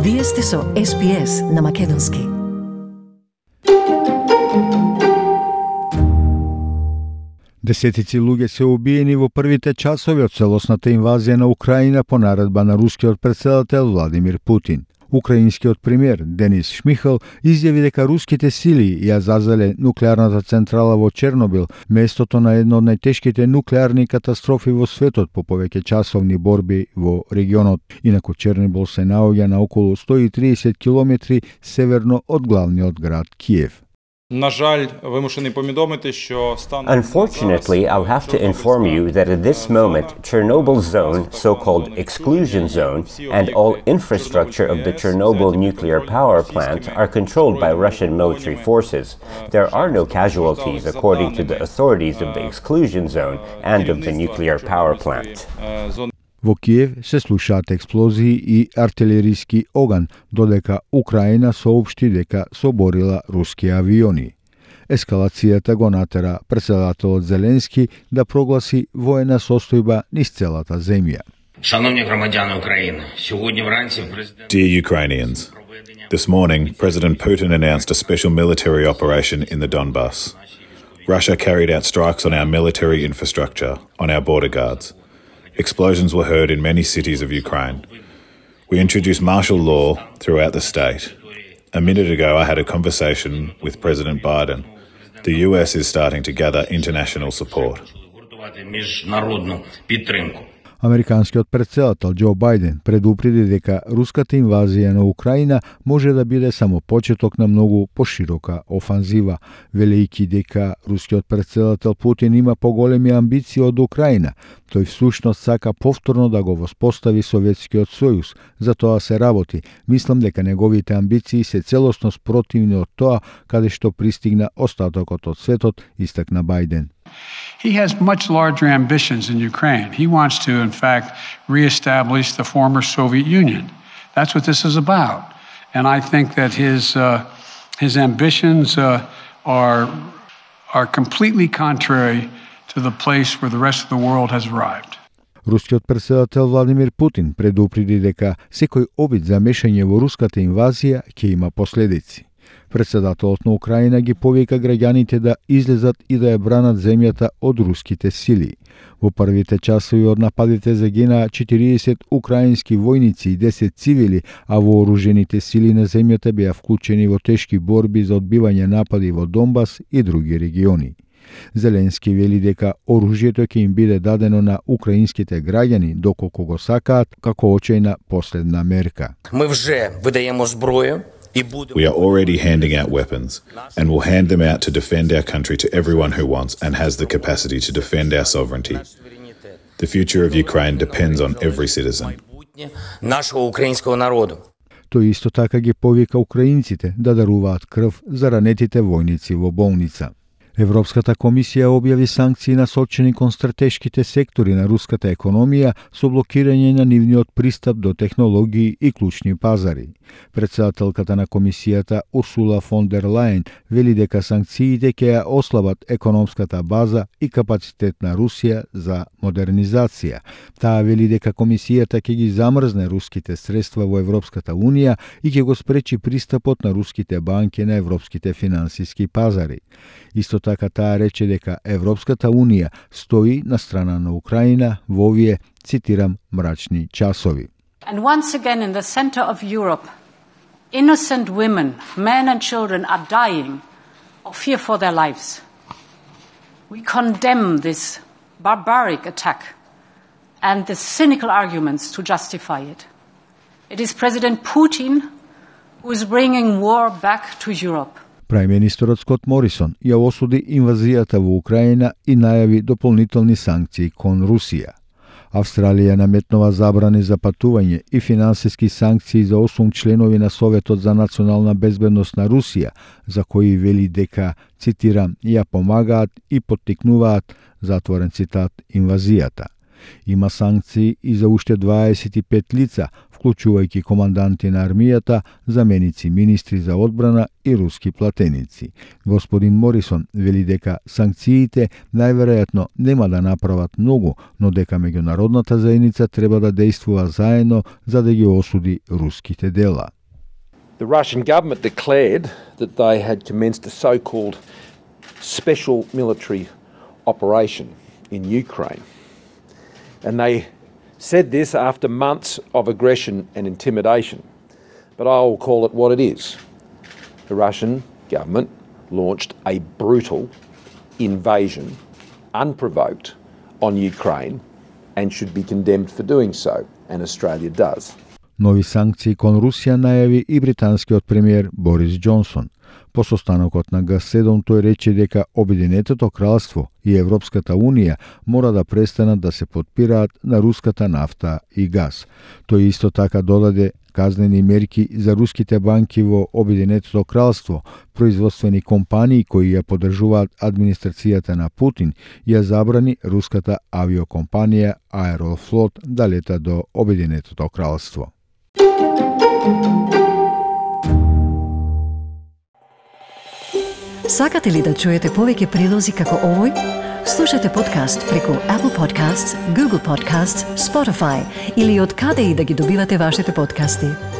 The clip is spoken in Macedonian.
Вие сте со SPS на Македонски. Десетици луѓе се убиени во првите часови од целосната инвазија на Украина по наредба на рускиот претседател Владимир Путин. Украинскиот премиер Денис Шмихал изјави дека руските сили ја зазеле нуклеарната централа во Чернобил, местото на една од најтешките нуклеарни катастрофи во светот по повеќе часовни борби во регионот. Инаку Чернобил се наоѓа на околу 130 километри северно од главниот град Киев. Unfortunately, I'll have to inform you that at this moment, Chernobyl zone, so-called exclusion zone, and all infrastructure of the Chernobyl nuclear power plant are controlled by Russian military forces. There are no casualties according to the authorities of the exclusion zone and of the nuclear power plant. Во Киев се слушаат експлозии и артилериски оган, додека Украина соопшти дека соборила руски авиони. Ескалацијата го натера претседателот Зеленски да прогласи воена состојба низ целата земја. Dear Ukrainians, this morning President Putin announced a special military operation in the Donbas. Russia carried out strikes on our military infrastructure, on our border guards. Explosions were heard in many cities of Ukraine. We introduced martial law throughout the state. A minute ago, I had a conversation with President Biden. The US is starting to gather international support. Американскиот претседател Џо Бајден предупреди дека руската инвазија на Украина може да биде само почеток на многу поширока офанзива, велејќи дека рускиот претседател Путин има поголеми амбиции од Украина. Тој всушност сака повторно да го воспостави Советскиот сојуз. За тоа се работи. Мислам дека неговите амбиции се целосно спротивни од тоа каде што пристигна остатокот од светот, истакна Бајден. He has much larger ambitions in Ukraine. He wants to, in fact, reestablish the former Soviet Union. That's what this is about. And I think that his ambitions are completely contrary to the place where the rest of the world has arrived. Рускиот претседател Владимир Путин предупреди дека секој обид за мешање во руската инвазија ќе има последици. Претседателот на Украина ги повика граѓаните да излезат и да ја бранат земјата од руските сили. Во првите часови од нападите загинаа 40 украински војници и 10 цивили, а вооружените сили на земјата беа вклучени во тешки борби за одбивање напади во Донбас и други региони. Зеленски вели дека оружјето ќе им биде дадено на украинските граѓани доколку го сакаат како очајна последна мерка. We are already handing out weapons and will hand them out to defend our country to everyone who wants and has the capacity to defend our sovereignty. The future of Ukraine depends on every citizen. Тој исто така ги повика украинците да даруваат крв за ранетите војници во болница. Европската комисија објави санкции насочени кон стратешките сектори на руската економија со блокирање на нивниот пристап до технологии и клучни пазари. Претседателката на комисијата Урсула фон дер Лајен вели дека санкциите ќе ја ослабат економската база и капацитет на Русија за модернизација. Таа вели дека комисијата ќе ги замрзне руските средства во Европската унија и ќе го спречи пристапот на руските банки на европските финансиски пазари. Исто така таа рече дека Европската унија стои на страна на Украина во овие, цитирам, мрачни часови. And once again in the center of Europe, innocent women, men and children are dying of fear for their lives. We condemn this barbaric attack and the cynical arguments to justify it. It is President Putin who is bringing war back to Europe. Прајм-министерот Скот Морисон ја осуди инвазијата во Украина и најави дополнителни санкции кон Русија. Австралија наметнува забрани за патување и финансиски санкции за 8 членови на Советот за национална безбедност на Русија, за кои вели дека, цитирам, ја помагаат и поттикнуваат, затворен цитат, инвазијата. Има санкции и за уште 25 лица, вклучувајќи команданти на армијата, заменици министри за одбрана и руски платеници. Господин Морисон вели дека санкциите најверојатно нема да направат многу, но дека меѓународната заедница треба да действува заедно за да ги осуди руските дела. The Russian government declared that they had commenced a so-called special military operation in Ukraine. And they said this after months of aggression and intimidation. But I will call it what it is. The Russian government launched a brutal invasion, unprovoked, on Ukraine and should be condemned for doing so, and Australia does. Нови санкции кон Русија најави и британскиот премиер Борис Џонсон. По состанокот на Г7 тој рече дека Обединетото кралство и Европската унија мора да престанат да се подпираат на руската нафта и газ. Тој исто така додаде казнени мерки за руските банки во Обединетото кралство, производствени компании кои ја поддржуваат администрацијата на Путин, ја забрани руската авиокомпанија Аерофлот да лета до Обединетото кралство. Сакате ли да чуете повеќе прилози како овој? Слушате подкаст преку Apple Podcasts, Google Podcasts, Spotify или од каде и да ги добивате вашите подкасти.